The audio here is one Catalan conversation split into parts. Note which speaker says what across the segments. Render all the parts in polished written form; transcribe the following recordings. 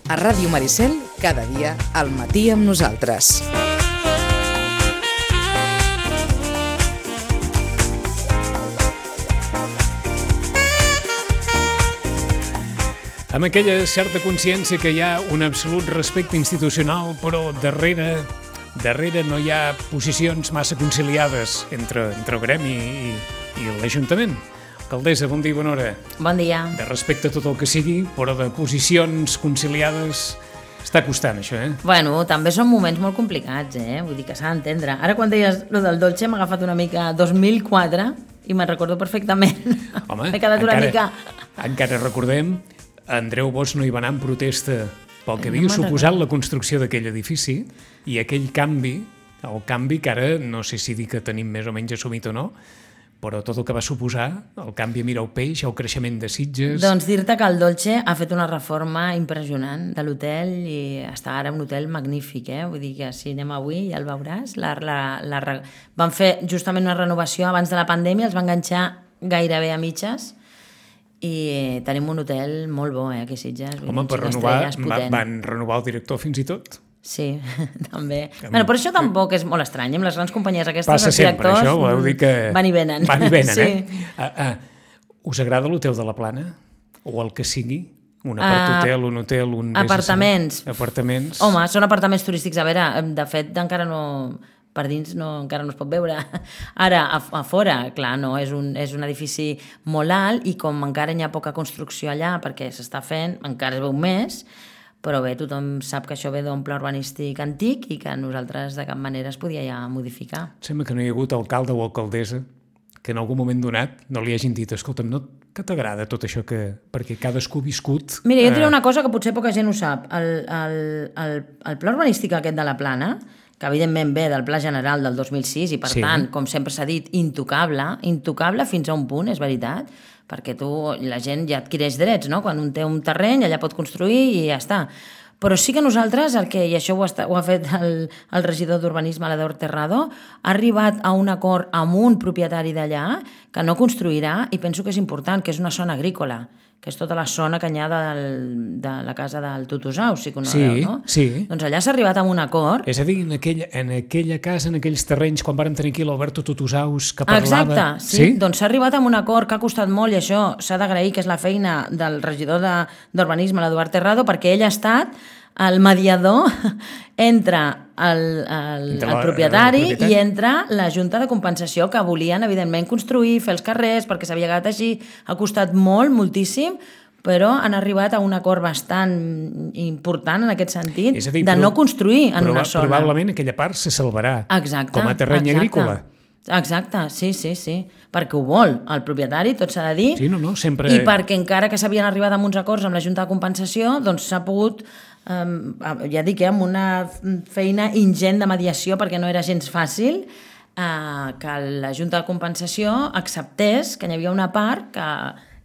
Speaker 1: A Ràdio Maricel, cada dia al matí amb nosaltres.
Speaker 2: Amb aquella certa consciència que hi ha un absolut respecte institucional, però darrere no hi ha posicions massa conciliades entre el gremi i l'Ajuntament. Alcaldessa, bon dia i bona hora.
Speaker 3: Bon dia.
Speaker 2: De respecte a tot el que sigui, però de posicions conciliades està costant, això,
Speaker 3: Bueno, també són moments molt complicats, Vull dir que s'ha d'entendre. Ara, quan deies lo del Dolce, m'ha agafat una mica 2004 i me'n recordo perfectament.
Speaker 2: Home,
Speaker 3: m'he quedat una mica...
Speaker 2: Encara recordem, Andreu Bosch no hi va anar en protesta pel que havia suposat la construcció d'aquell edifici i aquell canvi, el canvi que ara no sé si dir que tenim més o menys assumit o no, però tot el que va suposar, el canvi a Mira el Peix, el creixement de Sitges...
Speaker 3: Doncs dir-te que el Dolce ha fet una reforma impressionant de l'hotel i està ara un hotel magnífic, Vull dir que si anem avui ja el veuràs. Van fer justament una renovació abans de la pandèmia, els van enganxar gairebé a mitges i tenim un hotel molt bo, aquí a Sitges.
Speaker 2: Home, per renovar, van renovar el director fins i tot?
Speaker 3: Sí, també. Bueno, però això tampoc és molt estrany. Amb les grans companyies aquestes,
Speaker 2: passa
Speaker 3: els directors
Speaker 2: sempre, això, voleu dir que...
Speaker 3: van i venen.
Speaker 2: Van i venen,
Speaker 3: sí.
Speaker 2: Us agrada l'hotel de la Plana? O el que sigui? Un apart-hotel, un hotel, un...
Speaker 3: Apartaments.
Speaker 2: Apartaments.
Speaker 3: Home, són apartaments turístics. A veure, de fet, encara no... Per dins encara no es pot veure. Ara, a fora, clar, no, és un edifici molt alt i com encara hi ha poca construcció allà perquè s'està fent, encara es veu més, però bé, tothom sap que això ve d'un pla urbanístic antic i que nosaltres de cap manera es podia ja modificar.
Speaker 2: Sembla que no hi ha hagut alcalde o alcaldessa que en algun moment donat no li hagin dit escolta'm, que t'agrada tot això que... perquè cadascú ha viscut...
Speaker 3: Mira, jo et diré una cosa que potser poca gent ho sap. El pla urbanístic aquest de la Plana, que evidentment ve del Pla General del 2006 i per tant, com sempre s'ha dit, intocable fins a un punt, és veritat, perquè la gent ja adquireix drets, no? Quan un té un terreny, allà pot construir i ja està. Però sí que nosaltres, i això ho ha fet el regidor d'Urbanisme, l'Ador Terrado, ha arribat a un acord amb un propietari d'allà que no construirà, i penso que és important, que és una zona agrícola, que és tota la zona que hi ha de la casa del Tutusaus, si conegueu, no?
Speaker 2: Sí.
Speaker 3: Doncs allà s'ha arribat a un acord.
Speaker 2: És a dir, en aquella casa, en aquells terrenys, quan vàrem tenir aquí l'Alberto Tutusaus, que parlava...
Speaker 3: Exacte, sí. Doncs s'ha arribat a un acord que ha costat molt, i això s'ha d'agrair, que és la feina del regidor d'Urbanisme, l'Eduard Terrado, perquè ell ha estat el mediador entre el propietari i entre la Junta de Compensació, que volien, evidentment, construir, fer els carrers, perquè s'havia quedat així. Ha costat moltíssim, però han arribat a un acord bastant important en aquest sentit, de no construir en una zona.
Speaker 2: Probablement aquella part se salvarà com a terreny agrícola.
Speaker 3: Exacte, sí, perquè ho vol el propietari, tot s'ha de dir,
Speaker 2: sempre...
Speaker 3: i perquè encara que s'havien arribat a uns acords amb la Junta de Compensació, doncs s'ha pogut, ja dic, amb una feina ingent de mediació, perquè no era gens fàcil, que la Junta de Compensació acceptés que hi havia una part que,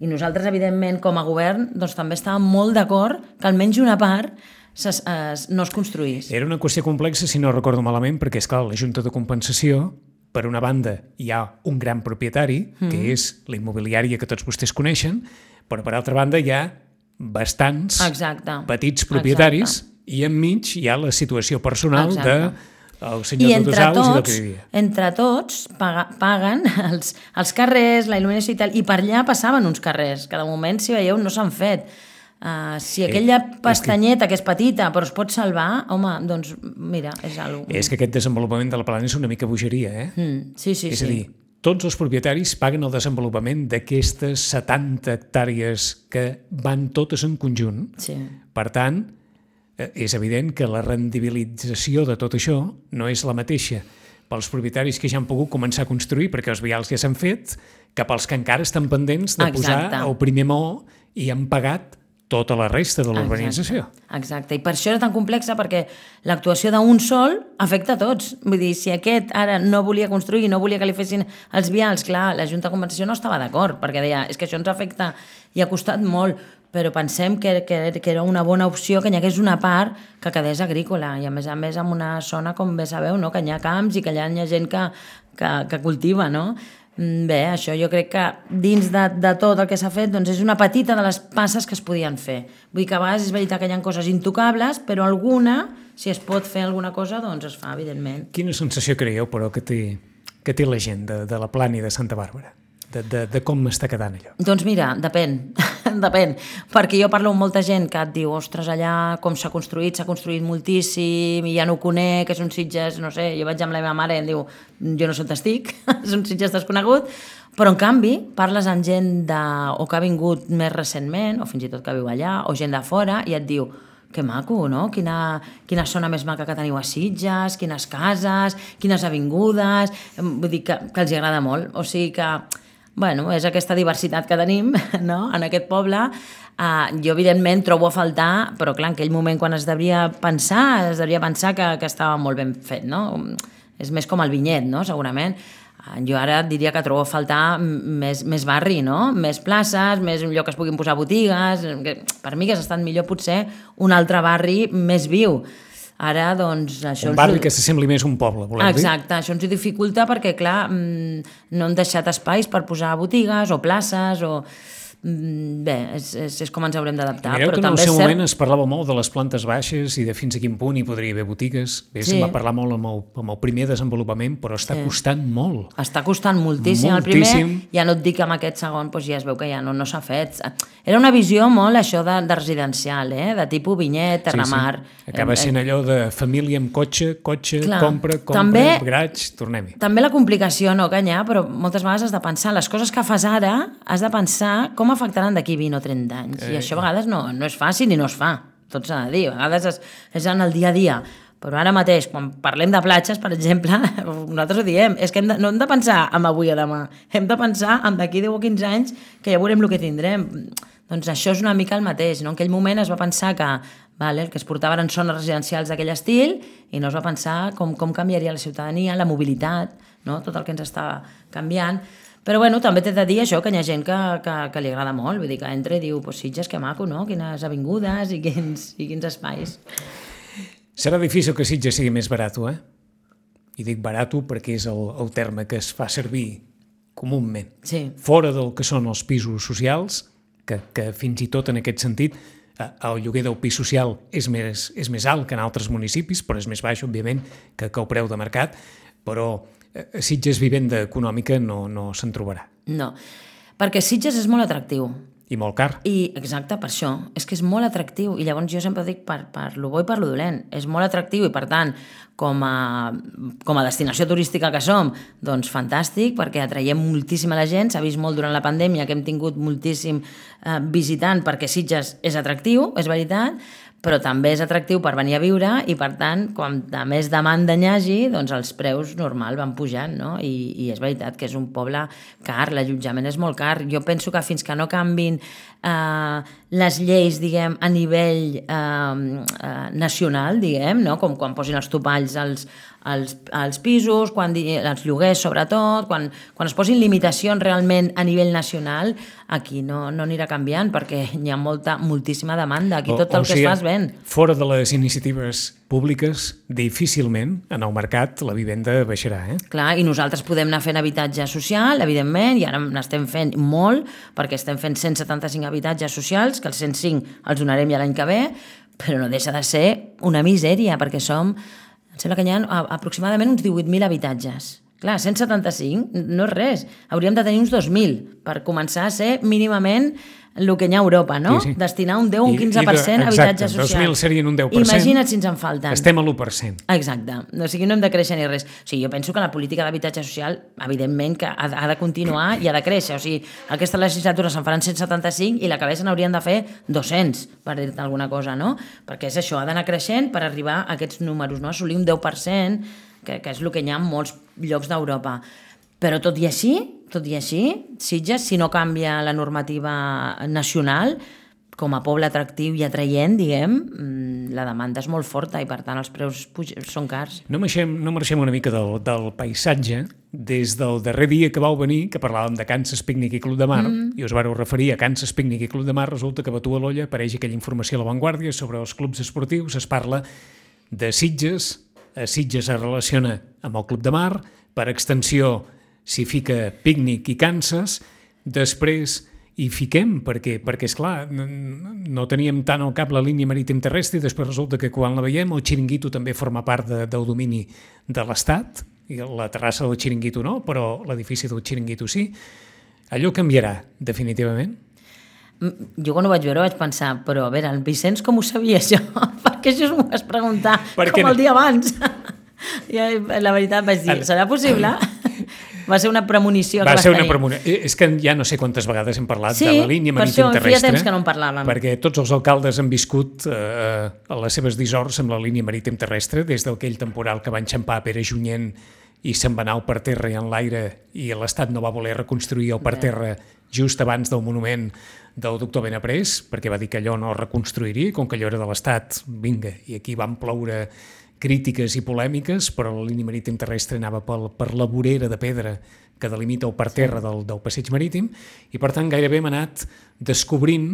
Speaker 3: i nosaltres, evidentment, com a govern, doncs també estàvem molt d'acord que almenys una part no es construís.
Speaker 2: Era una qüestió complexa, si no recordo malament, perquè, esclar, la Junta de Compensació, per una banda, hi ha un gran propietari, que és la immobiliària que tots vostès coneixen, però per altra banda hi ha bastants petits propietaris i enmig hi ha la situació personal del senyor Tutusaus i del que vivia.
Speaker 3: Entre tots paguen els carrers, la il·luminació i tal, i per allà passaven uns carrers, que de moment, si veieu, no s'han fet. Si aquella pestanyeta, que és petita, però es pot salvar, home, doncs mira, és alguna cosa.
Speaker 2: És que aquest desenvolupament de la Plana és una mica bogeria,
Speaker 3: Sí.
Speaker 2: És a dir, tots els propietaris paguen el desenvolupament d'aquestes 70 hectàrees que van totes en conjunt.
Speaker 3: Sí.
Speaker 2: Per tant, és evident que la rendibilització de tot això no és la mateixa pels propietaris que ja han pogut començar a construir perquè els vials ja s'han fet, que pels que encara estan pendents de posar el primer maó i han pagat tota la resta de l'urbanització.
Speaker 3: Exacte, i per això era tan complexa, perquè l'actuació d'un sol afecta a tots. Vull dir, si aquest ara no volia construir, no volia que li fessin els vials, clar, la Junta de Compensació no estava d'acord, perquè deia, és que això ens afecta i ha costat molt, però pensem que era una bona opció que hi hagués una part que quedés agrícola, i a més en una zona, com bé sabeu, no? Que hi ha camps i que allà hi ha gent que cultiva, no? Bé, això jo crec que dins de tot el que s'ha fet doncs és una petita de les passes que es podien fer. Vull dir que a vegades és veritat que hi ha coses intocables, però alguna, si es pot fer alguna cosa, doncs es fa, evidentment.
Speaker 2: Quina sensació creieu, però, que té la gent de la Plana i de Santa Bàrbara? De com està quedant allò?
Speaker 3: Doncs mira, depèn, depèn, perquè jo parlo amb molta gent que et diu, ostres, allà com s'ha construït moltíssim, i ja no ho conec, és un Sitges, no sé, jo vaig amb la meva mare i em diu, jo no sé on estic, és un Sitges desconegut, però en canvi parles amb gent o que ha vingut més recentment, o fins i tot que viu allà, o gent de fora, i et diu, que maco, no? Quina zona més maca que teniu a Sitges, quines cases, quines avingudes, vull dir que els agrada molt, o sigui que bueno, és aquesta diversitat que tenim, no?, en aquest poble. Jo, evidentment, trobo a faltar, però clar, en aquell moment quan es devia pensar que estava molt ben fet, no? És més com el vinyet, no?, segurament. Jo ara diria que trobo a faltar més barri, no?, més places, més un lloc que es puguin posar botigues. Per mi hagués estat millor potser un altre barri més viu. Ara, doncs, això...
Speaker 2: Un barri que s'assembli més a un poble, voleu dir?
Speaker 3: Exacte, això ens ho dificulta perquè, clar, no hem deixat espais per posar botigues o places o... Bé, és com ens haurem d'adaptar.
Speaker 2: Mireu que en el seu moment es parlava molt de les plantes baixes i de fins a quin punt hi podria haver botigues. Bé, se'n va parlar molt amb el primer desenvolupament, però està costant molt. Està
Speaker 3: costant moltíssim. El primer, ja no et dic que amb aquest segon doncs ja es veu que ja no s'ha fet. Era una visió molt això de residencial, de tipus vinyet, terramar.
Speaker 2: Sí. Acaba sent allò de família amb cotxe,
Speaker 3: clar,
Speaker 2: compra, garatge, tornem-hi.
Speaker 3: També la complicació, no, Canyà, però moltes vegades has de pensar, les coses que fas ara, has de pensar com afectaran d'aquí 20 o 30 anys. I això a vegades no és fàcil i no es fa. Tot s'ha de dir. A vegades és en el dia a dia. Però ara mateix, quan parlem de platges, per exemple, nosaltres ho diem, és que no hem de pensar en avui o demà. Hem de pensar en d'aquí 10 o 15 anys que ja veurem el que tindrem. Doncs això és una mica el mateix. No? En aquell moment es va pensar que el que es portava eren zones residencials d'aquell estil i no es va pensar com canviaria la ciutadania, la mobilitat, no? Tot el que ens està canviant. Però bueno, també t'he de dir això, que hi ha gent que li agrada molt, vull dir que entra i diu, pues Sitges, que maco, no? Quines avingudes i quins espais.
Speaker 2: Serà difícil que Sitges sigui més barat, I dic barat perquè és el terme que es fa servir comúment.
Speaker 3: Sí.
Speaker 2: Fora del que són els pisos socials, que fins i tot en aquest sentit el lloguer del pis social és més alt que en altres municipis, però és més baix, òbviament, que el preu de mercat, però a Sitges vivenda econòmica no se'n trobarà.
Speaker 3: No, perquè Sitges és molt atractiu.
Speaker 2: I molt car.
Speaker 3: Exacte, per això. És que és molt atractiu. I llavors jo sempre dic per lo bo i per lo dolent. És molt atractiu i, per tant, com a destinació turística que som, doncs fantàstic, perquè atraiem moltíssima la gent. S'ha vist molt durant la pandèmia que hem tingut moltíssim visitant perquè Sitges és atractiu, és veritat, però també és atractiu per venir a viure i, per tant, quan més demanda n'hi hagi, doncs els preus normal van pujant, no? I és veritat que és un poble car, l'allotjament és molt car. Jo penso que fins que no canvin les lleis, diguem, a nivell nacional, diguem, no? Com quan posin els topalls als pisos, els lloguers sobretot, quan es posin limitacions realment a nivell nacional, aquí no anirà canviant perquè hi ha moltíssima demanda. Aquí tot el que es fa es ven.
Speaker 2: Fora de les iniciatives públiques, difícilment en el mercat la vivenda baixarà.
Speaker 3: Clar, i nosaltres podem anar fent habitatge social, evidentment, i ara n'estem fent molt, perquè estem fent 175 habitatges socials, que els 105 els donarem ja l'any que ve, però no deixa de ser una misèria, perquè em sembla que hi ha aproximadament uns 18.000 habitatges. Clar, 175 no és res. Hauríem de tenir uns 2.000 per començar a ser mínimament el que hi ha a Europa, no?
Speaker 2: Sí.
Speaker 3: Destinar un 10 o un 15% a habitatge social.
Speaker 2: Exacte, 2.000 serien un 10%.
Speaker 3: Imagina't si ens en falten.
Speaker 2: Estem a l'1%.
Speaker 3: Exacte. O sigui, no hem de créixer ni res. O sigui, jo penso que la política d'habitatge social, evidentment, que ha de continuar i ha de créixer. O sigui, aquesta legislatura se'n faran 175 i la que ve se n'haurien de fer 200, per dir-te alguna cosa, no? Perquè és això, ha d'anar creixent per arribar a aquests números, no? Assolir un 10%, que és el que hi ha en molts llocs d'Europa. Però tot i així, Sitges, si no canvia la normativa nacional, com a poble atractiu i atraient, diguem, la demanda és molt forta i, per tant, els preus són cars.
Speaker 2: No marxem una mica del paisatge. Des del darrer dia que vau venir, que parlàvem de Kansas Picnic i Club de Mar, i us vareu referir a Kansas Picnic i Club de Mar, resulta que a Batu a l'Olla apareix aquella informació a l'avantguàrdia sobre els clubs esportius, es parla de Sitges, a Sitges es relaciona amb el Club de Mar, per extensió s'hi fica pícnic i Kansas, després hi fiquem, perquè esclar, no teníem tant al cap la línia marítim terrestre i després resulta que quan la veiem el xiringuito també forma part del domini de l'Estat, i la terrassa del xiringuito no, però l'edifici del xiringuito sí. Allò canviarà, definitivament?
Speaker 3: Jo quan ho vaig veure vaig pensar, però a veure, el Vicenç com ho sabia això? Perquè això m'ho vas preguntar com el dia abans. I la veritat vaig dir, serà possible? Va ser una premonició que vas tenir.
Speaker 2: És que ja no sé quantes vegades hem parlat de la línia marítim terrestre. Sí, per això feia temps
Speaker 3: que no en parlàvem.
Speaker 2: Perquè tots els alcaldes han viscut a les seves dissorts amb la línia marítim terrestre, des d'aquell temporal que va enxampar Pere Junyent i se'n va anar al parterre i en l'aire i l'Estat no va voler reconstruir el parterre just abans del monument del doctor Benaprés, perquè va dir que allò no reconstruiria, com que allò era de l'Estat, vinga, i aquí van ploure crítiques i polèmiques, però la línia marítim terrestre anava per la vorera de pedra que delimita el parterre del passeig marítim, i per tant gairebé hem anat descobrint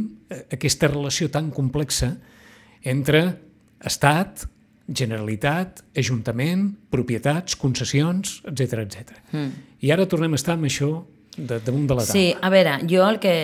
Speaker 2: aquesta relació tan complexa entre Estat, Generalitat, Ajuntament, propietats, concessions, etc. I ara tornem a estar amb això damunt de la taula.
Speaker 3: Sí, a veure, jo el que...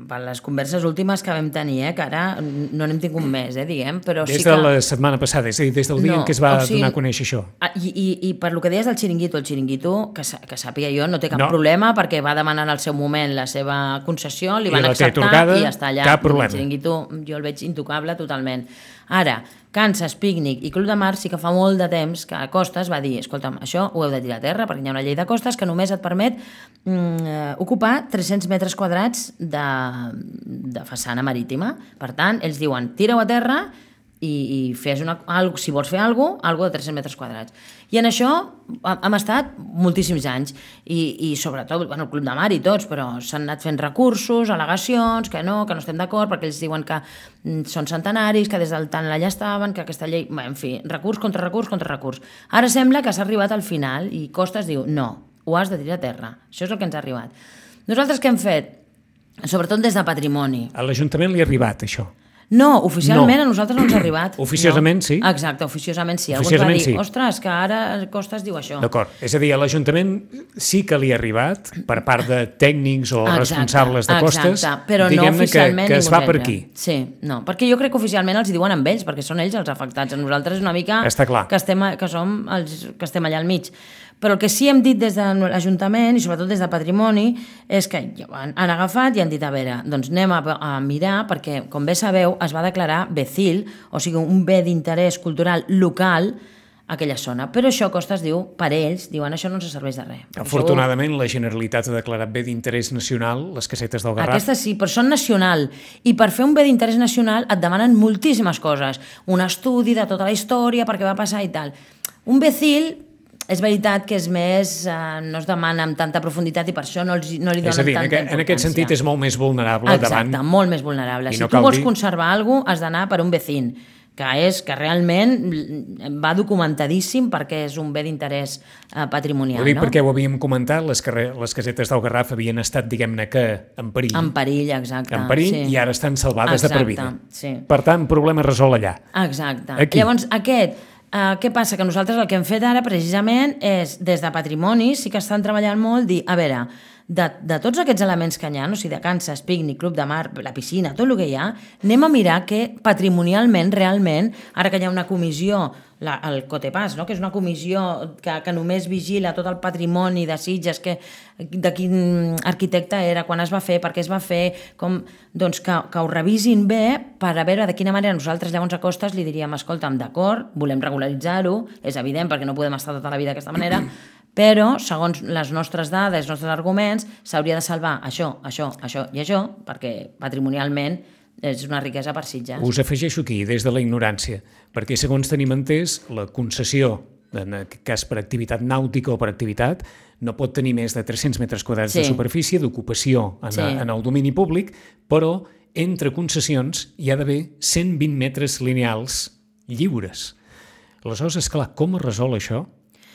Speaker 3: Per les converses últimes que vam tenir, que ara no n'hem tingut més, diguem, però
Speaker 2: des
Speaker 3: sí que...
Speaker 2: Des de la setmana passada, és a dir, des del dia en què es va donar a conèixer això.
Speaker 3: I per lo que deies del xiringuito, que sàpiga jo, no té cap problema, perquè va demanar en el seu moment la seva concessió, li van acceptar i està allà.
Speaker 2: Cap problema.
Speaker 3: El xiringuito jo el veig intocable totalment. Ara, Kansas, Pícnic i Club de Mar sí que fa molt de temps que Costes va dir, escolta'm, això ho heu de tirar a terra perquè hi ha una llei de costes que només et permet ocupar 300 metres quadrats de façana marítima. Per tant, ells diuen, tira-ho a terra i fes si vols fer alguna cosa de 300 metres quadrats. I en això hem estat moltíssims anys i sobretot el Club de Mar i tots, però s'han anat fent recursos, al·legacions, que no estem d'acord perquè ells diuen que són centenaris, que des del tant allà estaven, que aquesta llei... En fi, recurs contra recurs contra recurs. Ara sembla que s'ha arribat al final i Costes diu, no, ho has de tirar a terra. Això és el que ens ha arribat. Nosaltres què hem fet? Sobretot des de Patrimoni.
Speaker 2: A l'Ajuntament li ha arribat això?
Speaker 3: No, oficialment a nosaltres no ens ha arribat.
Speaker 2: Oficiosament sí?
Speaker 3: Exacte, oficiosament sí. Algú va dir, ostres, que ara Costes diu això.
Speaker 2: D'acord, és a dir, a l'Ajuntament sí que li ha arribat per part de tècnics o responsables de Costes,
Speaker 3: però no oficialment
Speaker 2: que es va per aquí.
Speaker 3: Sí, no, perquè jo crec que oficialment els hi diuen amb ells, perquè són ells els afectats. A nosaltres és una mica que estem allà al mig. Però el que sí hem dit des de l'Ajuntament i sobretot des de Patrimoni és que han agafat i han dit, a veure, doncs anem a mirar, perquè com bé sabeu es va declarar BECIL, o sigui un bé d'interès cultural local a aquella zona. Però això Costes diu, per ells, diuen això no ens serveix de res.
Speaker 2: Afortunadament la Generalitat ha declarat bé d'interès nacional les casetes del Garraf.
Speaker 3: Aquestes sí, però són nacional. I per fer un bé d'interès nacional et demanen moltíssimes coses. Un estudi de tota la història, per què va passar i tal. Un BECIL... És veritat que és més, no es demana amb tanta profunditat i per això no li donen tanta importància.
Speaker 2: En aquest sentit és molt més vulnerable davant...
Speaker 3: Exacte, molt més vulnerable. Si tu vols conservar alguna cosa, has d'anar per un vecín, que realment va documentadíssim perquè és un bé d'interès patrimonial.
Speaker 2: Ho dic perquè ho havíem comentat, les casetes del Garraf havien estat, diguem-ne que, en perill.
Speaker 3: En perill, exacte.
Speaker 2: En perill, i ara estan salvades de per vida. Per tant, problema resolt allà.
Speaker 3: Exacte. Llavors, què passa? Que nosaltres el que hem fet ara precisament és, des de Patrimoni, sí que estan treballant molt, dir, a veure, de tots aquests elements que hi ha, o sigui, de Kansas, Pícnic, Club de Mar, la piscina, tot el que hi ha, anem a mirar que patrimonialment, realment, ara que hi ha una comissió, el Cotepàs, que és una comissió que només vigila tot el patrimoni de Sitges, de quin arquitecte era, quan es va fer, per què es va fer, doncs que ho revisin bé per a veure de quina manera nosaltres llavors a Costes li diríem, escolta'm, d'acord, volem regularitzar-ho, és evident perquè no podem estar tota la vida d'aquesta manera, però, segons les nostres dades, els nostres arguments, s'hauria de salvar això i això, perquè patrimonialment és una riquesa per Sitges.
Speaker 2: Us afegeixo aquí, des de la ignorància, perquè segons tenim entès, la concessió, en aquest cas per activitat nàutica o per activitat, no pot tenir més de 300 metres quadrats de superfície d'ocupació en el domini públic, però entre concessions hi ha d'haver 120 metres lineals lliures. Aleshores, esclar, com es resol això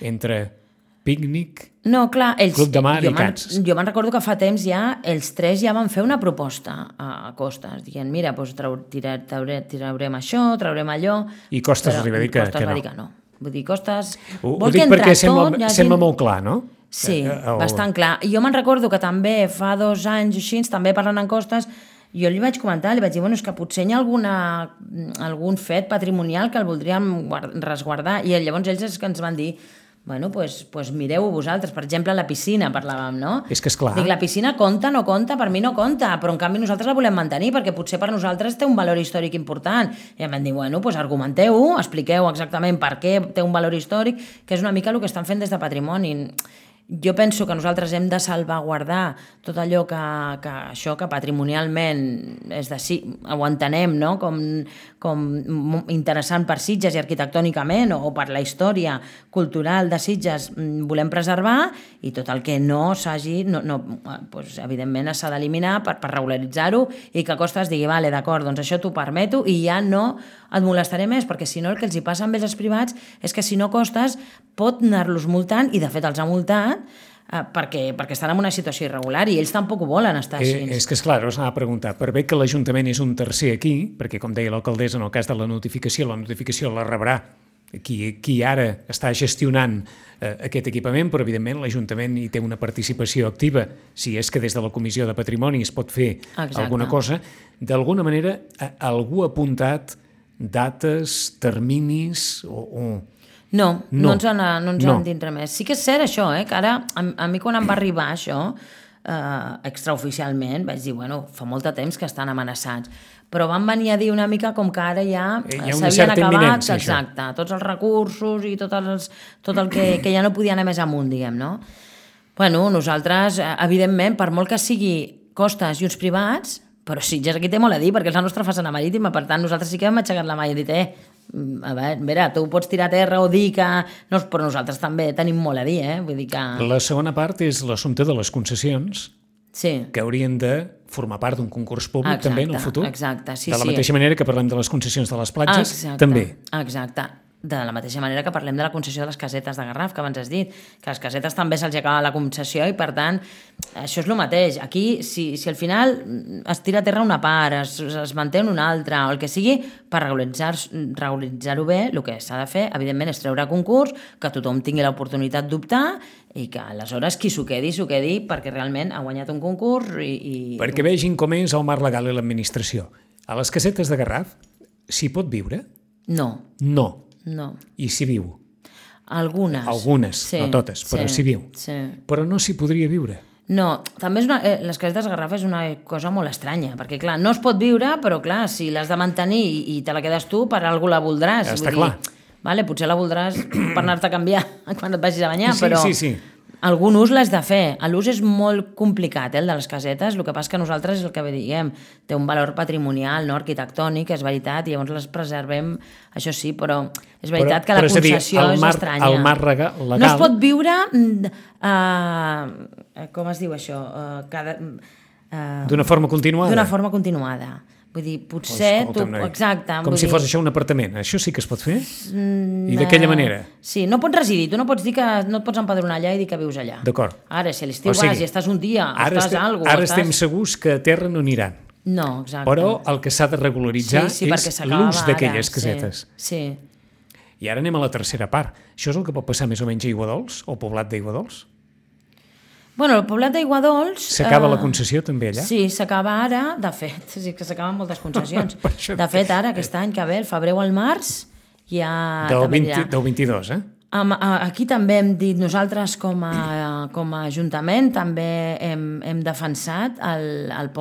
Speaker 2: entre Pícnic, Club de Mar i Kansas?
Speaker 3: Jo me'n recordo que fa temps ja els tres ja van fer una proposta a Costes, dient, mira, doncs traurem això, traurem allò...
Speaker 2: I Costes arriba a dir que no.
Speaker 3: Vull dir, Costes...
Speaker 2: Ho dic perquè sembla molt clar, no?
Speaker 3: Sí, bastant clar. I jo me'n recordo que també fa 2 anys o així, també parlant en costes, jo li vaig comentar, li vaig dir, bueno, és que potser hi ha algun fet patrimonial que el voldríem resguardar. I llavors ells és que ens van dir, bueno, pues mireu vosaltres. Per exemple, la piscina, parlàvem, no?
Speaker 2: És que és clar.
Speaker 3: Dic, la piscina compta, no compta? Per mi no compta, però en canvi nosaltres la volem mantenir perquè potser per nosaltres té un valor històric important. I em van dir, bueno, pues argumenteu-ho, expliqueu exactament per què té un valor històric, que és una mica el que estan fent des de Patrimoni. Jo penso que nosaltres hem de salvaguardar tot allò que patrimonialment ho entenem, no? com interessant per Sitges i arquitectònicament o per la història cultural de Sitges volem preservar, i tot el que no s'hagi, doncs, evidentment s'ha d'eliminar per regularitzar-ho i que Costes digui, vale, d'acord, doncs això t'ho permeto i ja no et molestaré més, perquè si no el que els hi passa amb els privats és que si no Costes pot anar-los multant, i de fet els ha multat, perquè estan en una situació irregular i ells tampoc ho volen estar així.
Speaker 2: És que és clar, us anava a preguntar, per bé que l'Ajuntament és un tercer aquí, perquè com deia l'alcaldessa, en el cas de la notificació la rebrà qui ara està gestionant aquest equipament, però evidentment l'Ajuntament hi té una participació activa, si és que des de la Comissió de Patrimoni es pot fer alguna cosa. D'alguna manera, algú ha apuntat dates, terminis o...
Speaker 3: No ens han dit res més. Sí que és cert això, que ara, a mi quan em va arribar això, extraoficialment, vaig dir, bueno, fa molt de temps que estan amenaçats, però van venir a dir una mica com que ara ja s'havien acabat, exacte, tots els recursos i tot el que ja no podia anar més amunt, diguem, no? Bueno, nosaltres, evidentment, per molt que sigui Costes i uns privats, però Sitges aquí té molt a dir, perquè és la nostra façana marítima, per tant, nosaltres sí que hem aixecat la mà i hem dit, a veure, tu pots tirar a terra o dir que... No, però nosaltres també tenim molt a dir, vull dir que...
Speaker 2: La segona part és l'assumpte de les concessions, que haurien de formar part d'un concurs públic també en el futur.
Speaker 3: Exacte, sí.
Speaker 2: De la mateixa manera que parlem de les concessions de les platges, també.
Speaker 3: Exacte. De la mateixa manera que parlem de la concessió de les casetes de Garraf, que abans has dit, que les casetes també se'ls acaba la concessió i, per tant, això és el mateix. Aquí, si al final es tira a terra una part, es manté una altra, o el que sigui, per regularitzar-ho bé, el que s'ha de fer, evidentment, és treure concurs, que tothom tingui l'oportunitat d'optar i que aleshores qui s'ho quedi perquè realment ha guanyat un concurs i...
Speaker 2: Perquè vegin com és el marc legal i l'administració. A les casetes de Garraf s'hi pot viure?
Speaker 3: No.
Speaker 2: I s'hi viu?
Speaker 3: Algunes,
Speaker 2: no totes, però s'hi viu. Però no s'hi podria viure?
Speaker 3: No, també les casetes de Garraf és una cosa molt estranya, perquè clar, no es pot viure, però clar, si l'has de mantenir i te la quedes tu, per algú la voldràs.
Speaker 2: Està clar.
Speaker 3: Vale, potser la voldràs per anar-te a canviar quan et vagis a banyar, però...
Speaker 2: Sí.
Speaker 3: Algun ús l'has de fer. L'ús és molt complicat, el de les casetes. El que passa que nosaltres és el que diguem, té un valor patrimonial, no arquitectònic, és veritat, i llavors les preservem, això sí, però és veritat que la concessió és estranya.
Speaker 2: El marc legal...
Speaker 3: No es pot viure... com es diu això?
Speaker 2: D'una forma continuada?
Speaker 3: D'una forma continuada. Vull dir, potser... Exacte.
Speaker 2: Com si fos això un apartament. Això sí que es pot fer? I d'aquella manera?
Speaker 3: Sí, no pots residir. Tu no pots dir que no et pots empadronar allà i dir que vius allà.
Speaker 2: D'acord.
Speaker 3: Ara, si a l'estiu vas i estàs un dia, estàs algú...
Speaker 2: Ara estem segurs que a terra no aniran.
Speaker 3: No, exacte.
Speaker 2: Però el que s'ha de regularitzar és l'ús d'aquelles casetes.
Speaker 3: Sí.
Speaker 2: I ara anem a la tercera part. Això és el que pot passar més o menys a Aiguadols, o poblat d'Aiguadols?
Speaker 3: Bueno, el poblat d'Aiguadols...
Speaker 2: S'acaba la concessió també allà?
Speaker 3: Sí, s'acaba ara, de fet, sí que s'acaben moltes concessions. De fet, ara, aquest any que ve, el febrer o el març, ja...
Speaker 2: Del 22,
Speaker 3: Aquí també hem dit, nosaltres com a Ajuntament també hem defensat el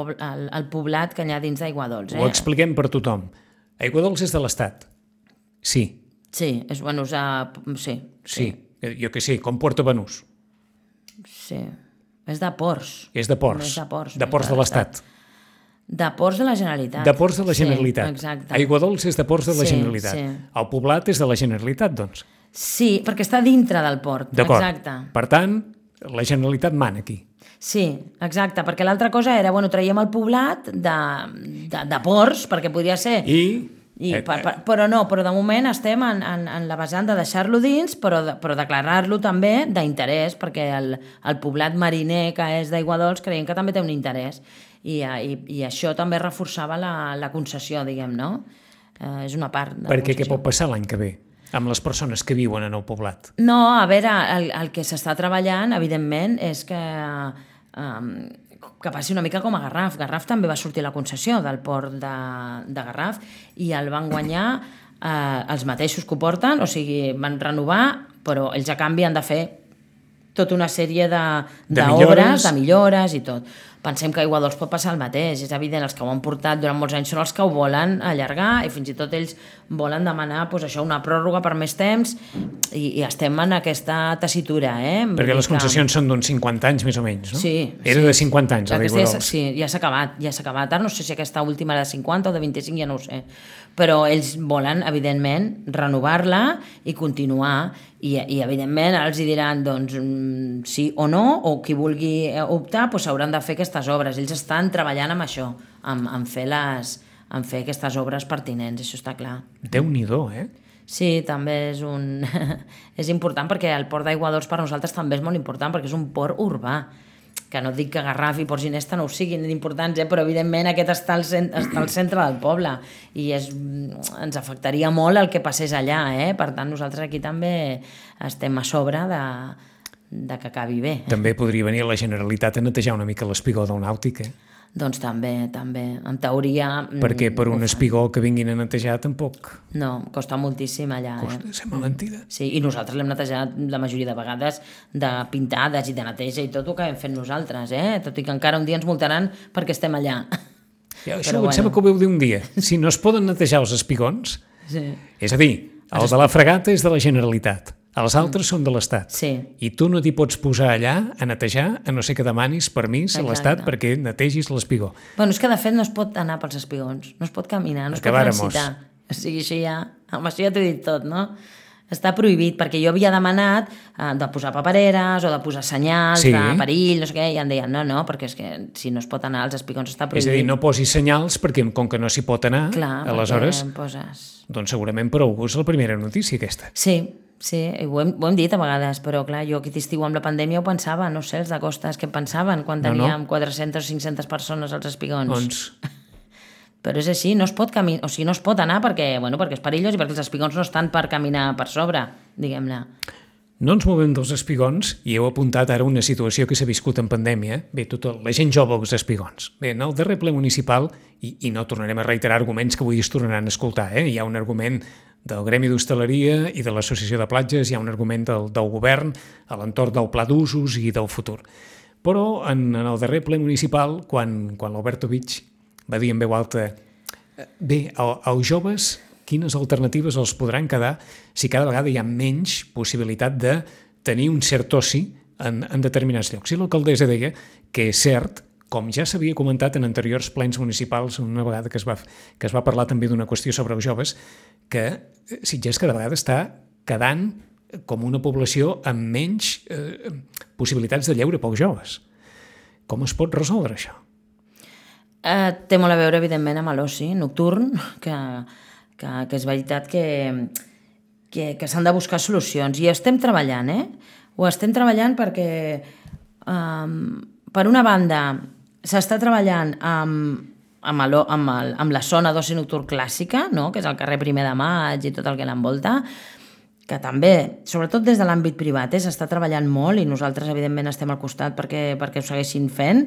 Speaker 3: poblat que hi ha dins d'Aiguadols.
Speaker 2: Ho expliquem per tothom. Aiguadols és de l'Estat? Sí.
Speaker 3: Sí, sí.
Speaker 2: Sí, jo que sé, com Puerto Banús.
Speaker 3: Sí, és de ports.
Speaker 2: És de ports. De ports de l'Estat.
Speaker 3: De ports de la Generalitat.
Speaker 2: De ports de la Generalitat.
Speaker 3: Sí, exacte.
Speaker 2: Aiguadols és de ports de la Generalitat. El poblat és de la Generalitat, doncs.
Speaker 3: Sí, perquè està dintre del port.
Speaker 2: D'acord.
Speaker 3: Exacte.
Speaker 2: Per tant, la Generalitat mana aquí.
Speaker 3: Sí, exacte, perquè l'altra cosa era, traiem el poblat de ports, perquè podria ser... Però de moment estem en la vessant de deixar-lo dins, però declarar-lo també d'interès, perquè el poblat mariner que és d'Aiguadols creiem que també té un interès. I això també reforçava la concessió, diguem, no? És una part de la concessió.
Speaker 2: Perquè què pot passar l'any que ve? amb les persones que viuen en el poblat?
Speaker 3: No, a veure, el que s'està treballant, evidentment, és que passi una mica com a Garraf. Garraf també va sortir la concessió del port de Garraf i el van guanyar els mateixos que ho porten, o sigui, van renovar, però ells a canvi han de fer tota una sèrie d'obres, de millores i tot. Pensem que a Aigua Dols pot passar el mateix, és evident, els que ho han portat durant molts anys són els que ho volen allargar i fins i tot ells volen demanar una pròrroga per més temps i estem en aquesta tessitura.
Speaker 2: Perquè les concessions són d'uns 50 anys més o menys, no?
Speaker 3: Sí.
Speaker 2: Era de 50 anys, a Aigua Dols.
Speaker 3: Sí, ja s'ha acabat. Ara no sé si aquesta última era de 50 o de 25, ja no ho sé. Però ells volen, evidentment, renovar-la i continuar. I evidentment, els hi diran doncs, sí o no, o qui vulgui optar s'hauran de fer aquestes obres. Ells estan treballant amb això, en fer aquestes obres pertinents, això està clar.
Speaker 2: Déu-n'hi-do,
Speaker 3: Sí, també és important perquè el port d'Aigua Dols per nosaltres també és molt important perquè és un port urbà, que no dic que Garraf i Port Ginesta no ho siguin importants, però evidentment aquest està al centre del poble i ens afectaria molt el que passés allà, per tant nosaltres aquí també estem a sobre de que acabi bé.
Speaker 2: També podria venir la Generalitat a netejar una mica l'espigó del Nàutic,
Speaker 3: Doncs també, en teoria...
Speaker 2: Perquè per un espigó que vinguin a netejar tampoc...
Speaker 3: No, costa moltíssim allà.
Speaker 2: Costa ser malentida.
Speaker 3: Sí, i nosaltres l'hem netejat la majoria de vegades de pintades i de neteja i tot el que hem fet nosaltres, tot i que encara un dia ens multaran perquè estem allà.
Speaker 2: Ja, això em sembla que ho veu dir un dia. Si no es poden netejar els espigons, és a dir, el de la fregata és de la Generalitat, els altres són de l'Estat.
Speaker 3: Sí.
Speaker 2: I tu no t'hi pots posar allà a netejar, a no ser que demanis permís a l'Estat perquè netegis l'espigó.
Speaker 3: Bueno, és que de fet no es pot anar pels espigons, no es pot caminar, no es pot transitar. O sigui, això ja t'ho he dit tot, no? Està prohibit, perquè jo havia demanat de posar papereres o de posar senyals de perill, no sé què, i em deien no, perquè és que si no es pot anar als espigons està prohibit.
Speaker 2: És a dir, no posis senyals perquè com que no s'hi pot anar, aleshores, doncs segurament per algú és la primera notícia aquesta.
Speaker 3: Sí, ho hem dit a vegades, però clar, jo aquest estiu amb la pandèmia ho pensava, no sé, els de Costes què pensaven quan teníem 400 o 500 persones als espigons.
Speaker 2: Doncs...
Speaker 3: Però és així, no es pot caminar, o sigui, no es pot anar perquè és perillós i perquè els espigons no estan per caminar per sobre, diguem-ne.
Speaker 2: No ens movem dels espigons i heu apuntat ara una situació que s'ha viscut en pandèmia. Bé, tota la gent jove als espigons. Bé, en el darrer ple municipal, i no tornarem a reiterar arguments que avui es tornaran a escoltar, hi ha un argument del Gremi d'Hostaleria i de l'Associació de Platges, hi ha un argument del govern a l'entorn del pla d'usos i del futur. Però en el darrer ple municipal, quan l'Albertovich va dir en veu alta bé, als joves quines alternatives els podran quedar si cada vegada hi ha menys possibilitat de tenir un cert oci en determinats llocs. I l'alcaldessa deia que és cert, com ja s'havia comentat en anteriors plens municipals, una vegada que es va parlar també d'una qüestió sobre els joves, que Sitges cada vegada està quedant com una població amb menys possibilitats de lleure pels joves. Com es pot resoldre això?
Speaker 3: Té molt a veure, evidentment, amb l'oci nocturn, que és veritat que s'han de buscar solucions. I estem treballant, Ho estem treballant perquè, per una banda, s'està treballant amb la zona d'oci nocturn clàssica, no? Que és el carrer 1 de Maig i tot el que l'envolta, que també, sobretot des de l'àmbit privat, s'està treballant molt i nosaltres, evidentment, estem al costat perquè ho segueixin fent,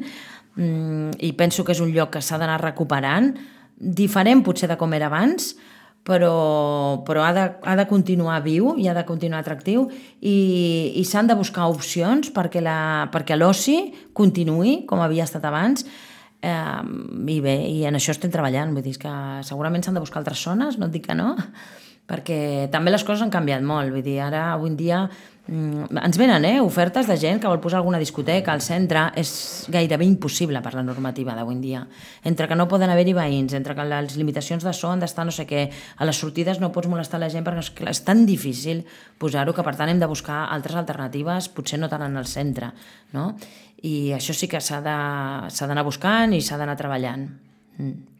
Speaker 3: i penso que és un lloc que s'ha d'anar recuperant, diferent potser de com era abans, però ha de continuar viu i ha de continuar atractiu i s'han de buscar opcions perquè l'oci continuï com havia estat abans i bé, i en això estem treballant, vull dir que segurament s'han de buscar altres zones, no et dic que no, perquè també les coses han canviat molt, vull dir, ara avui en dia ens venen ofertes de gent que vol posar alguna discoteca al centre, és gairebé impossible per la normativa d'avui en dia, entre que no poden haver-hi veïns, entre que les limitacions de so han d'estar no sé què, a les sortides no pots molestar la gent perquè és tan difícil posar-ho que per tant hem de buscar altres alternatives, potser no tant en el centre, no? I això sí que s'ha d'anar buscant i s'ha d'anar treballant.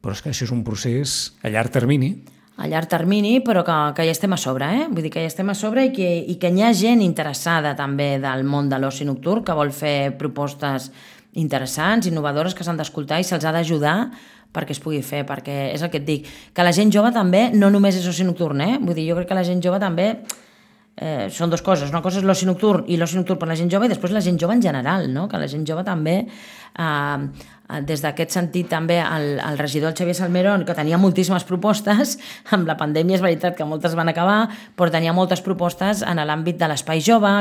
Speaker 2: Però és que això és un procés a llarg termini.
Speaker 3: A llarg termini, però que ja estem a sobre, Vull dir que ja estem a sobre i que hi ha gent interessada també del món de l'oci nocturn que vol fer propostes interessants, innovadores, que s'han d'escoltar i se'ls ha d'ajudar perquè es pugui fer, perquè és el que et dic, que la gent jove també no només és oci nocturn, vull dir, jo crec que la gent jove també són dues coses, una cosa és l'oci nocturn i l'oci nocturn per la gent jove i després la gent jove en general, no? Que la gent jove també des d'aquest sentit també el regidor el Xavier Salmerón, que tenia moltíssimes propostes, amb la pandèmia és veritat que moltes van acabar, però tenia moltes propostes en l'àmbit de l'espai jove,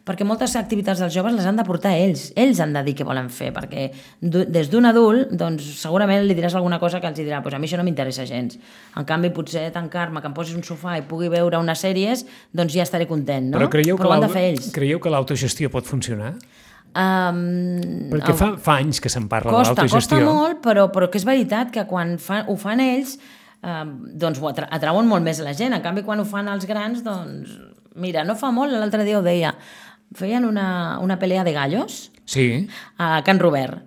Speaker 3: perquè moltes activitats dels joves les han de portar ells han de dir què volen fer, perquè des d'un adult doncs segurament li diràs alguna cosa que els dirà, pues a mi això no m'interessa gens, en canvi potser tancar-me, que em posis un sofà i pugui veure unes sèries, doncs ja estaré content, no?
Speaker 2: Però
Speaker 3: ho han de fer ells.
Speaker 2: Creieu que l'autogestió pot funcionar? Perquè fa anys que se'n parla de l'autogestió.
Speaker 3: Costa molt, però que és veritat que quan ho fan ells doncs ho atrauen molt més la gent. En canvi, quan ho fan els grans, doncs... Mira, no fa molt, l'altre dia ho deia, feien una pelea de gallos a Can Robert.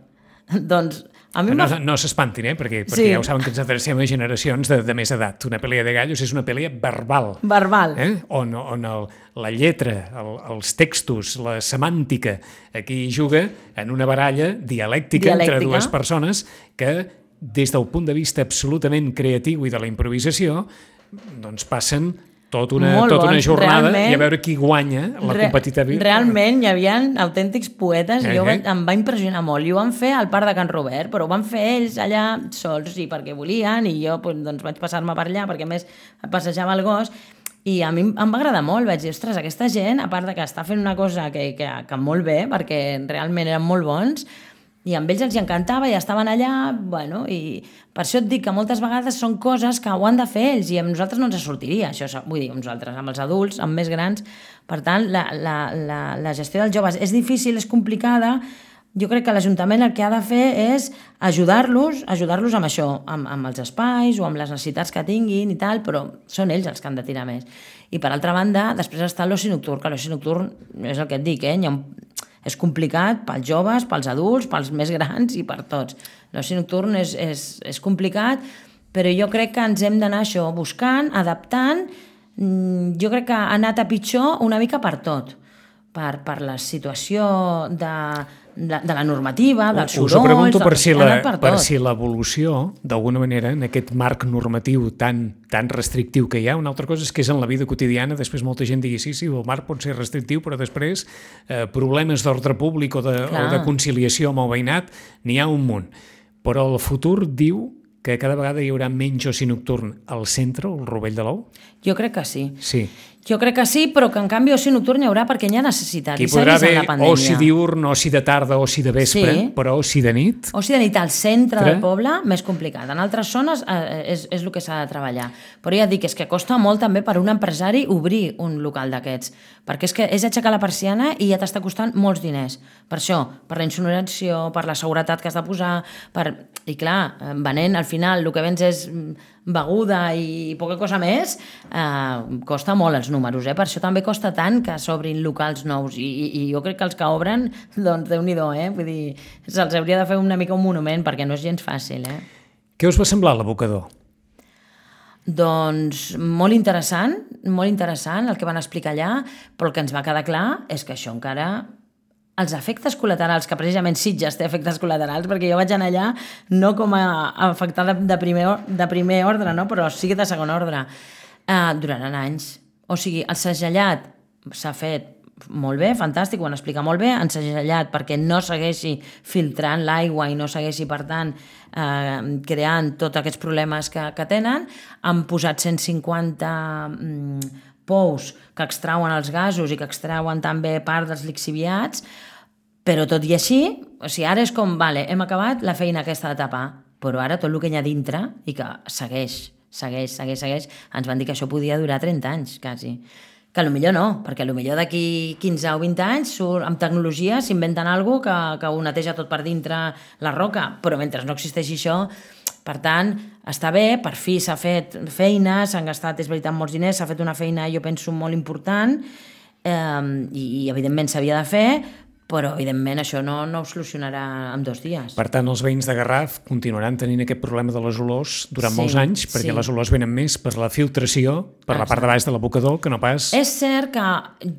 Speaker 3: Doncs a mi
Speaker 2: no s'espantin, perquè ja ho saben que ens adrecem a generacions de més edat. Una pelea de gallos és una pelea verbal. On la lletra, els textos, la semàntica, aquí juga en una baralla dialèctica entre dues persones que, des del punt de vista absolutament creatiu i de la improvisació, doncs passen tota una jornada i a veure qui guanya la competitivitat.
Speaker 3: Realment hi havia autèntics poetes i em va impressionar molt. I ho van fer al Parc de Can Robert, però ho van fer ells allà sols i perquè volien, i jo doncs, vaig passar-me per allà perquè a més passejava el gos i a mi em va agradar molt. Vaig dir, ostres, aquesta gent, a part de que està fent una cosa que molt bé, perquè realment eren molt bons, i amb ells els encantava i estaven allà, bueno, i per això et dic que moltes vegades són coses que ho han de fer ells i amb nosaltres no ens sortiria, això, vull dir, amb nosaltres, amb els adults, amb més grans. Per tant, la gestió dels joves és difícil, és complicada. Jo crec que l'Ajuntament el que ha de fer és ajudar-los amb això, amb els espais o amb les necessitats que tinguin i tal, però són ells els que han de tirar més. I per altra banda, després està l'oci nocturn, que l'oci nocturn és el que et dic, és complicat pels joves, pels adults, pels més grans i per tots. L'oci nocturn és complicat, però jo crec que ens hem d'anar això buscant, adaptant. Jo crec que ha anat a pitjor una mica per tot, per la situació de la normativa, dels sorolls...
Speaker 2: Us ho pregunto per si l'evolució, d'alguna manera, en aquest marc normatiu tan restrictiu que hi ha, una altra cosa és que és en la vida quotidiana, després molta gent digui sí, el marc pot ser restrictiu, però després problemes d'ordre públic o de conciliació amb el veïnat, n'hi ha un munt. Però el futur diu que cada vegada hi haurà menys oci nocturn al centre, al Rovell de l'Ou?
Speaker 3: Jo crec que sí.
Speaker 2: Sí.
Speaker 3: Jo crec que sí, però que en canvi oci nocturn hi haurà perquè n'hi ha necessitat.
Speaker 2: Hi podrà haver oci diurn, oci de tarda, oci de vespre, però oci de nit?
Speaker 3: Oci de nit al centre del poble, més complicat. En altres zones és el que s'ha de treballar. Però ja et dic, és que costa molt també per un empresari obrir un local d'aquests, perquè és que és aixecar la persiana i ja t'està costant molts diners. Per això, per la insonorizació, per la seguretat que has de posar, i clar, venent, al final, el que vens és beguda i poca cosa més, costa molt els números, per això també costa tant que s'obrin locals nous i jo crec que els que obren, doncs Déu-n'hi-do, vull dir, se'ls hauria de fer una mica un monument perquè no és gens fàcil.
Speaker 2: Què us va semblar l'abocador?
Speaker 3: Doncs molt interessant el que van explicar allà, però el que ens va quedar clar és que això encara... Els efectes col·laterals, que precisament Sitges té efectes col·laterals, perquè jo vaig anar allà no com a afectada de primer ordre, no? Però sí de segon ordre, duraran anys. O sigui, el segellat s'ha fet molt bé, fantàstic, ho han explicat molt bé, han segellat perquè no segueixi filtrant l'aigua i no segueixi, per tant, creant tots aquests problemes que tenen. Han posat 150 pous que extrauen els gasos i que extrauen també part dels lixiviats, però tot i així, o sigui, ara és com, vale, hem acabat la feina aquesta de tapar, però ara tot el que hi ha dintre i que segueix, ens van dir que això podia durar 30 anys, quasi. Que potser no, perquè potser d'aquí 15 o 20 anys amb tecnologia s'inventen alguna cosa que ho neteja tot per dintre la roca, però mentre no existeixi això, per tant, està bé, per fi s'ha fet feina, s'han gastat, és veritat, molts diners, s'ha fet una feina, jo penso, molt important i evidentment s'havia de fer, però evidentment això no ho solucionarà en 2 dies.
Speaker 2: Per tant, els veïns de Garraf continuaran tenint aquest problema de les olors durant molts anys, perquè les olors venen més per la filtració, per la part de baix de l'abocador, que no pas...
Speaker 3: És cert que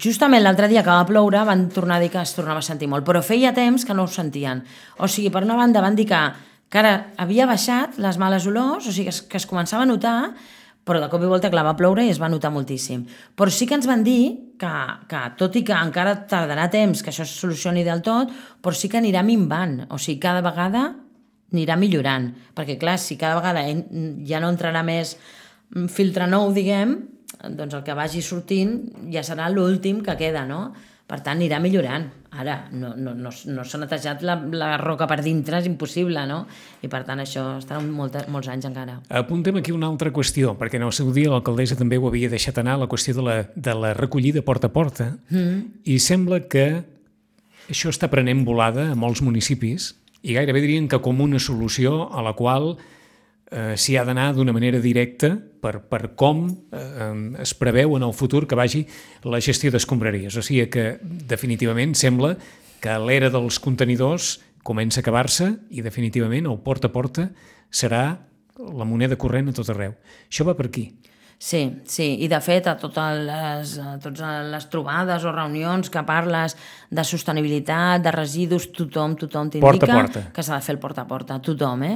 Speaker 3: justament l'altre dia que va ploure van tornar a dir que es tornava a sentir molt, però feia temps que no ho sentien. O sigui, per una banda van dir que que ara havia baixat les males olors, o sigui que es començava a notar, però de cop i volta, clar, va ploure i es va notar moltíssim. Però sí que ens van dir que tot i que encara tardarà temps que això es solucioni del tot, però sí que anirà minvant, o sigui, cada vegada anirà millorant, perquè clar, si cada vegada ja no entrarà més filtre nou, diguem, doncs el que vagi sortint ja serà l'últim que queda, no? Per tant, anirà millorant. Ara, no s'ha netejat la roca per dintre, és impossible, no? I per tant, això estarà molts anys encara.
Speaker 2: Apuntem aquí una altra qüestió, perquè en el seu dia l'alcaldessa també ho havia deixat anar, la qüestió de la recollida porta a porta, i sembla que això està prenent volada a molts municipis, i gairebé dirien que com una solució a la qual s'hi ha d'anar d'una manera directa per com es preveu en el futur que vagi la gestió d'escombraries. O sigui que definitivament sembla que l'era dels contenidors comença a acabar-se i definitivament el porta a porta serà la moneda corrent a tot arreu. Això va per aquí.
Speaker 3: Sí, i de fet a totes les trobades o reunions que parles de sostenibilitat, de residus, tothom t'indica que s'ha de fer el porta a porta, tothom,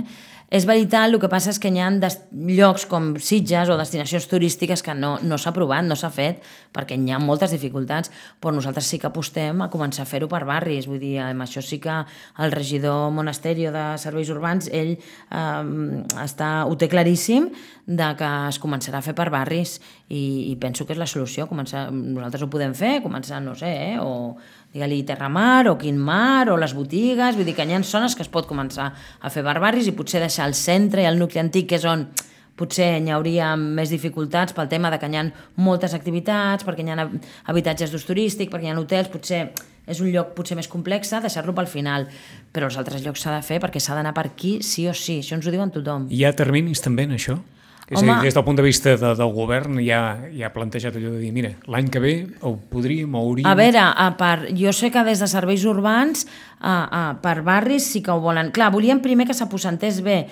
Speaker 3: És veritat, el que passa és que hi ha llocs com Sitges o destinacions turístiques que no s'ha provat, no s'ha fet, perquè hi ha moltes dificultats, però nosaltres sí que apostem a començar a fer-ho per barris, vull dir, amb això sí que el regidor Monasterio de Serveis Urbans, ell ho té claríssim de que es començarà a fer per barris i penso que és la solució, nosaltres ho podem fer, començar, no sé, o digue-li Terramar o Quinmar o les botigues, vull dir que hi ha zones que es pot començar a fer per barris i potser deixar el centre i el nucli antic, que és on potser hi hauria més dificultats pel tema de que hi ha moltes activitats, perquè hi ha habitatges d'ús turístic, perquè hi ha hotels, potser és un lloc potser més complex, deixar-lo pel final, però els altres llocs s'ha de fer perquè s'ha d'anar per aquí sí o sí, això ens ho diuen tothom.
Speaker 2: Hi ha terminis també en això? És a dir, des del punt de vista del govern ja ha plantejat allò de dir, mira, l'any que ve ho podríem, ho hauríem...
Speaker 3: A veure, jo sé que des de serveis urbans per barris sí que ho volen. Clar, volíem primer que s'aposentés bé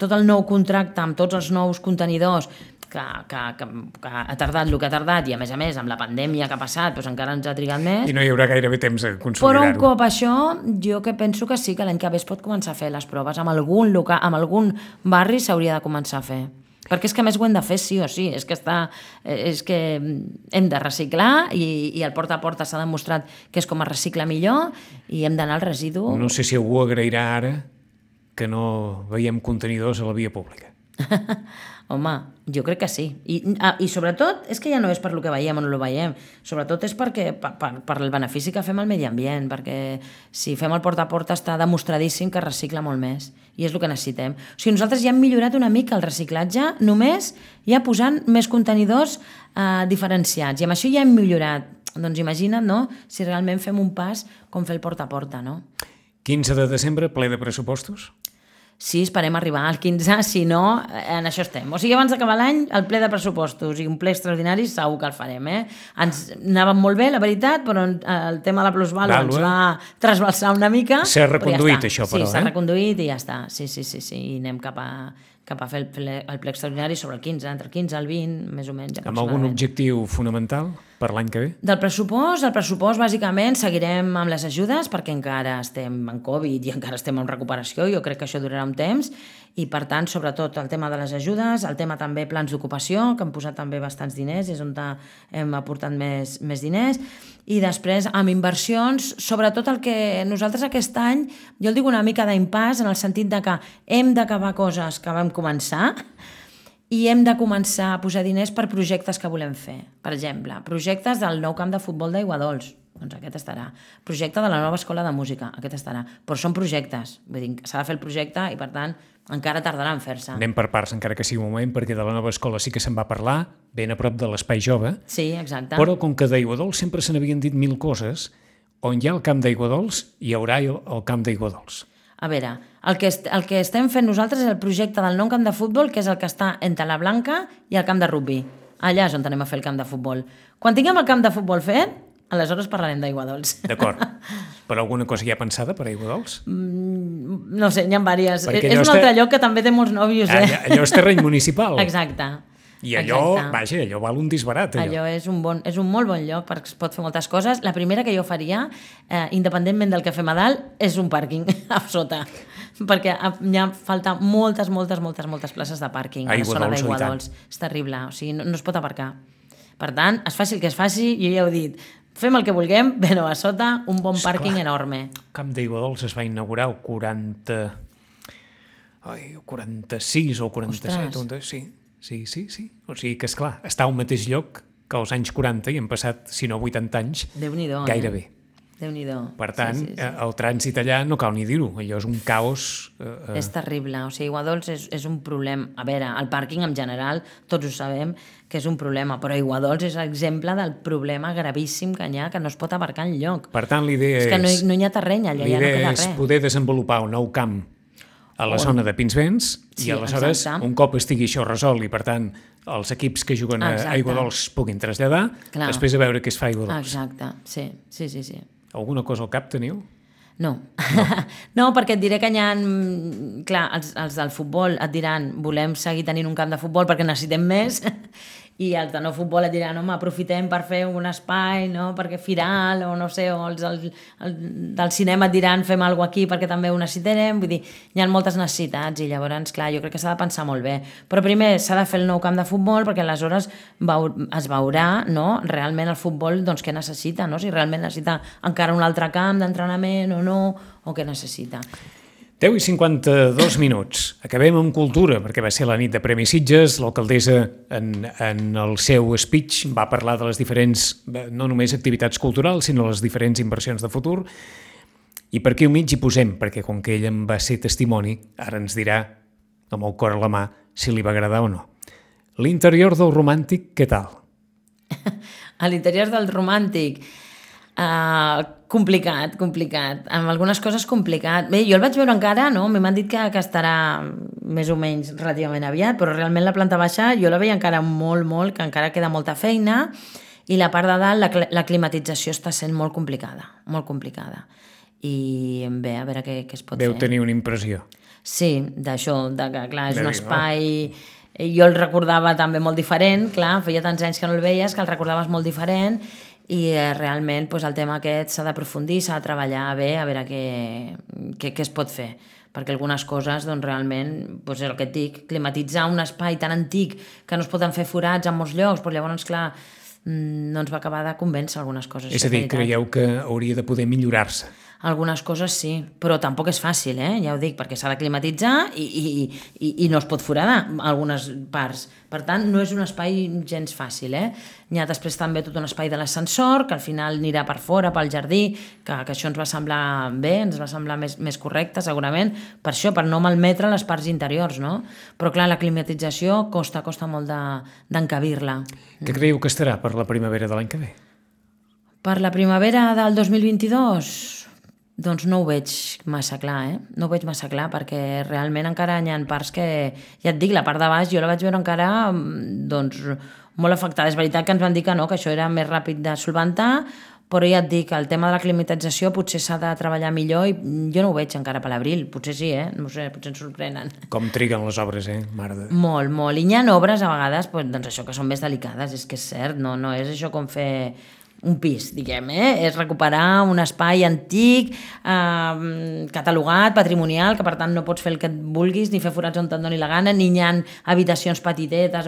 Speaker 3: tot el nou contracte amb tots els nous contenidors que ha tardat el que ha tardat i a més amb la pandèmia que ha passat doncs encara ens ha trigat més.
Speaker 2: I no hi haurà gairebé temps a consolidar-ho.
Speaker 3: Però un cop això, jo que penso que sí que l'any que ve es pot començar a fer les proves. Amb algun barri s'hauria de començar a fer. Perquè és que a més ho hem de fer sí o sí, és que hem de reciclar i el porta a porta s'ha demostrat que és com es recicla millor i hem d'anar al residu.
Speaker 2: No sé si algú agrairà ara que no veiem contenidors a la via pública.
Speaker 3: Home, jo crec que sí. I sobretot, és que ja no és per lo que veiem o no lo veiem, sobretot és perquè per el benefici que fem al medi ambient, perquè si fem el porta a porta està demostradíssim que recicla molt més, i és el que necessitem. O sigui, nosaltres ja hem millorat una mica el reciclatge només ja posant més contenidors diferenciats, i amb això ja hem millorat. Doncs imagina't, no?, si realment fem un pas com fer el porta a porta, no?
Speaker 2: 15 de desembre, ple de pressupostos?
Speaker 3: Sí, esperem arribar al 15, si no, en això estem. O sigui, abans d'acabar l'any, el ple de pressupostos i un ple extraordinari segur que el farem, Ens anàvem molt bé, la veritat, però el tema de la plusvàlua ens va trasbalsar una mica.
Speaker 2: S'ha reconduït, això, però,
Speaker 3: Sí, s'ha reconduït i ja està. Sí, i anem cap a fer el ple extraordinari sobre el 15, entre el 15 i el 20, més o menys.
Speaker 2: Amb algun objectiu fonamental per l'any que ve?
Speaker 3: Del pressupost, bàsicament, seguirem amb les ajudes perquè encara estem en Covid i encara estem en recuperació, jo crec que això durarà un temps, i per tant, sobretot el tema de les ajudes, el tema també plans d'ocupació, que han posat també bastants diners, és on hem aportat més diners, i després amb inversions, sobretot el que nosaltres aquest any, jo el dic una mica d'impàs, en el sentit de que hem d'acabar coses que vam començar i hem de començar a posar diners per projectes que volem fer. Per exemple, projectes del nou camp de futbol d'Aiguadols, doncs aquest estarà. Projecte de la nova escola de música, aquest estarà. Però són projectes, vull dir, s'ha de fer el projecte i per tant encara tardarà en fer-se.
Speaker 2: Anem per parts, encara que sigui un moment, perquè de la nova escola sí que se'n va parlar, ben a prop de l'Espai Jove.
Speaker 3: Sí, exacte.
Speaker 2: Però com que d'Aiguadols sempre se n'havien dit 1000 coses, on hi ha el camp d'Aiguadols, hi haurà el camp d'Aiguadols.
Speaker 3: A veure, el que estem fent nosaltres és el projecte del nou camp de futbol, que és el que està entre la Blanca i el camp de rugby. Allà és on anem a fer el camp de futbol. Quan tinguem el camp de futbol fet, aleshores parlarem d'Aiguadols.
Speaker 2: D'acord. Però alguna cosa ja pensada per Aiguadols?
Speaker 3: No sé, n'hi ha diverses. És un altre lloc que també té molts nòvios,
Speaker 2: Allò és terreny municipal.
Speaker 3: Exacte.
Speaker 2: I allò, vaja, allò val un disbarat.
Speaker 3: Allò és un molt bon lloc perquè es pot fer moltes coses. La primera que jo faria, independentment del que fem a dalt, és un pàrquing a sota. Perquè hi ha falta moltes places de pàrquing a la zona d'Aiguadols. És terrible, o sigui, no es pot aparcar. Per tant, es faci el que es faci, jo ja ho he dit, fem el que vulguem, però a sota un bon pàrquing enorme.
Speaker 2: El camp d'Aiguadols es va inaugurar el 46 o 47. Sí. O sigui que, esclar, està al mateix lloc que als anys 40 i han passat, si no 80 anys, gairebé.
Speaker 3: Déu-n'hi-do.
Speaker 2: Per tant, el trànsit allà no cal ni dir-ho, allò és un caos.
Speaker 3: És terrible, o sigui, Aiguadols és un problema. A veure, el pàrquing en general, tots ho sabem, que és un problema, però Aiguadols és exemple del problema gravíssim que hi ha, que no es pot aparcar enlloc.
Speaker 2: Per tant, l'idea és...
Speaker 3: És que no hi ha terreny allà, ja no queda res.
Speaker 2: L'idea és poder desenvolupar un nou camp a la zona de Pinsbens i aleshores, un cop estigui això resolt i, per tant, els equips que juguen a Aiguadols puguin traslladar, després a veure què es fa a Aiguadols.
Speaker 3: Exacte, sí.
Speaker 2: Alguna cosa al cap teniu?
Speaker 3: No, perquè et diré que hi ha... Clar, els del futbol et diran volem seguir tenint un camp de futbol perquè necessitem més, i els de no futbol et diran home, aprofitem per fer un espai, no? Perquè firal, o no sé, o els del cinema et diran fem alguna cosa aquí perquè també ho necessitarem. Vull dir, hi ha moltes necessitats i llavors, clar, jo crec que s'ha de pensar molt bé. Però primer s'ha de fer el nou camp de futbol perquè aleshores es veurà, no?, realment el futbol doncs, què necessita, no? Si realment necessita encara un altre camp d'entrenament o no, o què necessita.
Speaker 2: 10 i 52 minuts. Acabem amb cultura, perquè va ser la nit de Premi Sitges. L'alcaldessa, en el seu speech, va parlar de les diferents, no només activitats culturals, sinó les diferents inversions de futur. I per aquí al mig hi posem, perquè com que ell en va ser testimoni, ara ens dirà, amb el cor a la mà, si li va agradar o no. L'interior del Romàntic, què tal?
Speaker 3: A l'interior del Romàntic... complicat, amb algunes coses complicat. Bé, jo el vaig veure encara, no? M'han dit que estarà més o menys relativament aviat, però realment la planta baixa jo la veia encara molt, que encara queda molta feina, i la part de dalt, la climatització està sent molt complicada. I bé, a veure què es pot fer.
Speaker 2: Deu tenir una impressió.
Speaker 3: Sí, d'això, que clar, és un espai... Jo el recordava també molt diferent, clar, feia tants anys que no el veies que el recordaves molt diferent, i realment doncs, el tema aquest s'ha d'aprofundir, s'ha de treballar bé, a veure què es pot fer, perquè algunes coses doncs, realment, doncs, és el que et dic, climatitzar un espai tan antic que no es poden fer forats en molts llocs, però llavors, clar, no ens va acabar de convèncer algunes coses.
Speaker 2: És a dir, creieu que hauria de poder millorar-se?
Speaker 3: Algunes coses sí, però tampoc és fàcil, ja ho dic, perquè s'ha de climatitzar i no es pot foradar algunes parts. Per tant, no és un espai gens fàcil. Hi ha després també tot un espai de l'ascensor, que al final anirà per fora, pel jardí, que això ens va semblar bé, ens va semblar més correcte, segurament, per això, per no malmetre les parts interiors, no? Però clar, la climatització costa molt d'encabir-la.
Speaker 2: Què creieu que estarà per la primavera de l'any que ve?
Speaker 3: Per la primavera del 2022... Doncs no ho veig massa clar, No ho veig massa clar, perquè realment encara hi ha parts que... Ja et dic, la part de baix jo la vaig veure encara doncs, molt afectada. És veritat que ens van dir que no, que això era més ràpid de solventar, però ja et dic, el tema de la climatització potser s'ha de treballar millor i jo no ho veig encara per l'abril. Potser sí, no sé, potser ens sorprenen.
Speaker 2: Com triguen les obres, mare de...
Speaker 3: Molt. I hi ha obres a vegades, doncs això, que són més delicades, és que és cert, no és això com fer... un pis, diguem, és recuperar un espai antic, catalogat, patrimonial, que per tant no pots fer el que et vulguis, ni fer forats on te'n doni la gana, ni hi ha habitacions petitetes.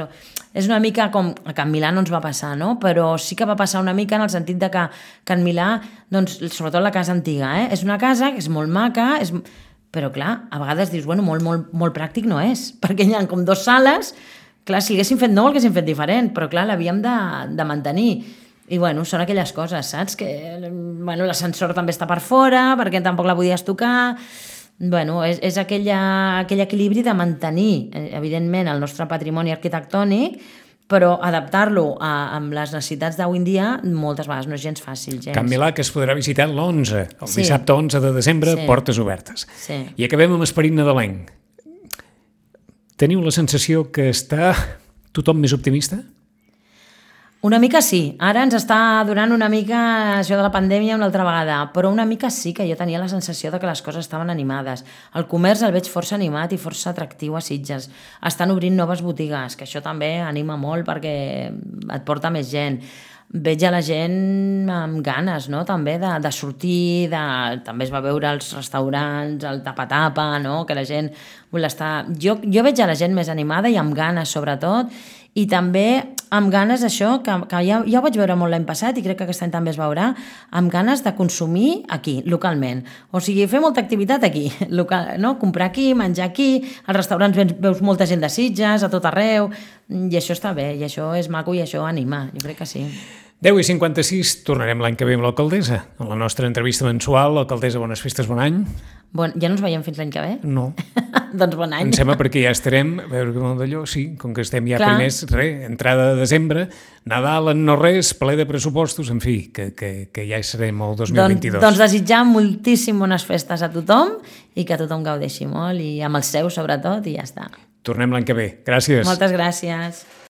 Speaker 3: És una mica com a Can Milà no ens va passar, no? Però sí que va passar una mica en el sentit de que Can Milà, doncs, sobretot la casa antiga, és una casa que és molt maca, però clar, a vegades dius, bueno, molt pràctic no és, perquè hi ha com 2 sales, clar, si haguéssim fet nou, l'haguéssim fet diferent, però clar, l'havíem de mantenir. I bueno, són aquelles coses, saps? Que l'ascensor també està per fora, perquè tampoc la podies tocar. Bueno, és aquell equilibri de mantenir, evidentment, el nostre patrimoni arquitectònic, però adaptar-lo amb les necessitats d'avui en dia moltes vegades no és gens fàcil.
Speaker 2: Can Milà, que es podrà visitar l'11, el dissabte 11 de desembre, portes obertes. I acabem amb esperit nadalenc. Teniu la sensació que està tothom més optimista?
Speaker 3: Una mica sí. Ara ens està durant una mica això de la pandèmia una altra vegada, però una mica sí que jo tenia la sensació de que les coses estaven animades. El comerç el veig força animat i força atractiu a Sitges. Estan obrint noves botigues, que això també anima molt perquè et porta més gent. Veig a la gent amb ganes, no?, també de sortir, també es va veure als restaurants, el tapa-tapa, no?, que la gent vol estar... Jo veig a la gent més animada i amb ganes, sobretot, i també amb ganes això, que ja ho vaig veure molt l'any passat i crec que aquest any també es veurà, amb ganes de consumir aquí, localment. O sigui, fer molta activitat aquí, local, no? Comprar aquí, menjar aquí, als restaurants veus molta gent de Sitges, a tot arreu, i això està bé, i això és maco i això anima, jo crec que sí.
Speaker 2: 10:56, tornarem l'any que ve amb l'alcaldessa. En la nostra entrevista mensual, alcaldessa, bones festes, bon any.
Speaker 3: Ja no ens veiem fins l'any que ve?
Speaker 2: No.
Speaker 3: Doncs bon any.
Speaker 2: Em sembla perquè ja estarem, a veure com d'allò, sí, com que estem ja primers, entrada de desembre, Nadal en no res, ple de pressupostos, en fi, que ja serem el 2022.
Speaker 3: Doncs desitjar moltíssim bones festes a tothom i que tothom gaudeixi molt i amb els seus sobretot i ja està.
Speaker 2: Tornem l'any que ve. Gràcies.
Speaker 3: Moltes gràcies.